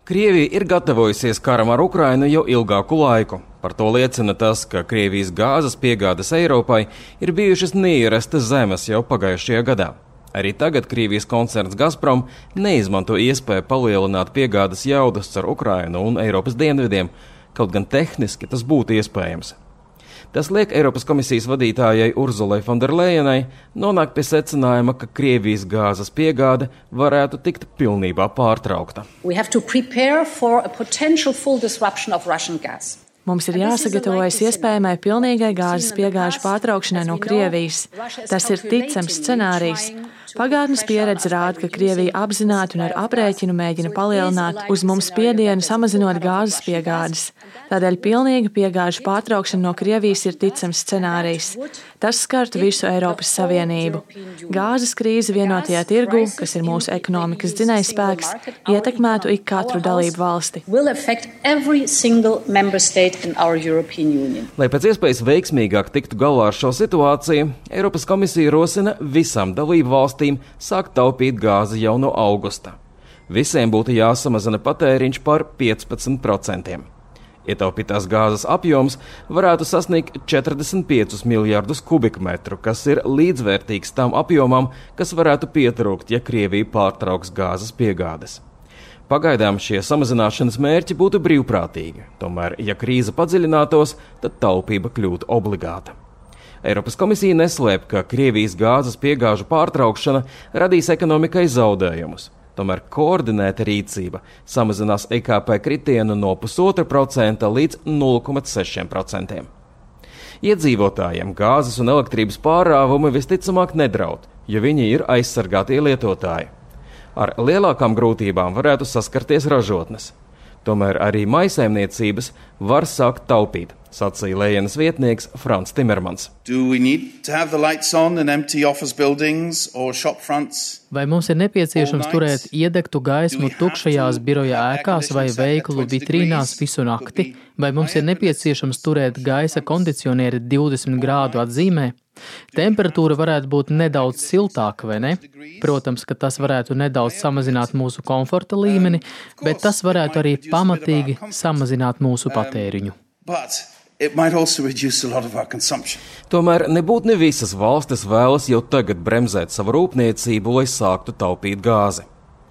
Krievija ir gatavojusies karam ar Ukrainu jau ilgāku laiku. Par to liecina tas, ka Krievijas gāzes piegādes Eiropai ir bijušas neierasti zemes jau pagājušajā gadā. Arī tagad Krievijas koncerns Gazprom neizmanto iespēju palielināt piegādes jaudas ar Ukrainu un Eiropas dienvidiem, kaut gan tehniski tas būtu iespējams. Tas liek Eiropas komisijas vadītājai Urzulai Fonderlejenai nonākt pie secinājuma, ka Krievijas gāzes piegāde varētu tikt pilnībā pārtraukta. Mums ir jāsagatavojas iespējamai pilnīgai gāzes piegāžu pārtraukšanai no Krievijas. Tas ir ticams scenārijs. Pagātnes pieredze rāda, ka Krievija apzināti un ar aprēķinu mēģina palielināt uz mums spiedienu, samazinot gāzes piegādes. Tādēļ pilnīga piegāžu pārtraukšana no Krievijas ir ticams scenārijs. Tas skartu visu Eiropas Savienību. Gāzes krīze vienotajā tirgū, kas ir mūsu ekonomikas dzinējspēks, ietekmētu ik katru dalību valsti. Lai pēc iespējas veiksmīgāk tiktu galā ar šo situāciju, Eiropas komisija rosina visām dalību valstīm sākt taupīt gāzi jau no augusta. Visiem būtu jāsamazina patēriņš par 15%. Ietaupītās gāzes apjoms varētu sasniegt 45 miljardus kubikmetru, kas ir līdzvērtīgs tam apjomam, kas varētu pietrūkt, ja Krievija pārtrauks gāzes piegādes. Pagaidām šie samazināšanas mērķi būtu brīvprātīgi, tomēr, ja krīze padziļinātos, tad taupība kļūtu obligāta. Eiropas komisija neslēp, ka Krievijas gāzes piegāžu pārtraukšana radīs ekonomikai zaudējumus. Tomēr koordinēta rīcība samazinās IKP kritienu no 0,5% līdz 0,6%. Iedzīvotājiem gāzes un elektrības pārrāvumi visticamāk nedraud, jo viņi ir aizsargātie lietotāji. Ar lielākām grūtībām varētu saskarties ražotnes. Tomēr arī maisaimniecības var sākt taupīt, sacīja Lejenas vietnieks Frants Timermans. Vai mums ir nepieciešams turēt iedegtu gaismu tukšajās biroja ēkās vai veikalu vitrīnās visu nakti? Vai mums ir nepieciešams turēt gaisa kondicionieri 20 grādu atzīmē? Temperatūra varētu būt nedaudz siltāka, vai ne? Protams, ka tas varētu nedaudz samazināt mūsu komforta līmeni, bet tas varētu arī pamatīgi samazināt mūsu patēriņu. Tomēr nebūtu ne visas valstis vēlas jau tagad bremzēt savu rūpniecību, lai sāktu taupīt gāzi.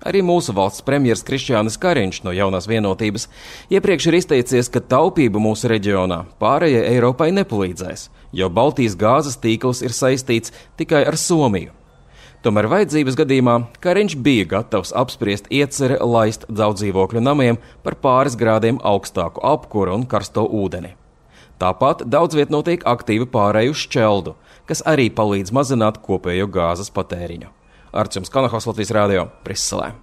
Arī mūsu valsts premjers Krišjānis Kariņš no Jaunās vienotības iepriekš ir izteicies, ka taupība mūsu reģionā pārējai Eiropai nepalīdzēs, jo Baltijas gāzes tīkls ir saistīts tikai ar Somiju. Tomēr vajadzības gadījumā Kariņš bija gatavs apspriest ieceri laist daudzdzīvokļu namiem par pāris grādiem augstāku apkuru un karsto ūdeni. Tāpat daudz viet notiek aktīvi pārēju uz šķeldu, kas arī palīdz mazināt kopējo gāzes patēriņu. Arčuns Kanahos, Latvijas radio, Briselē.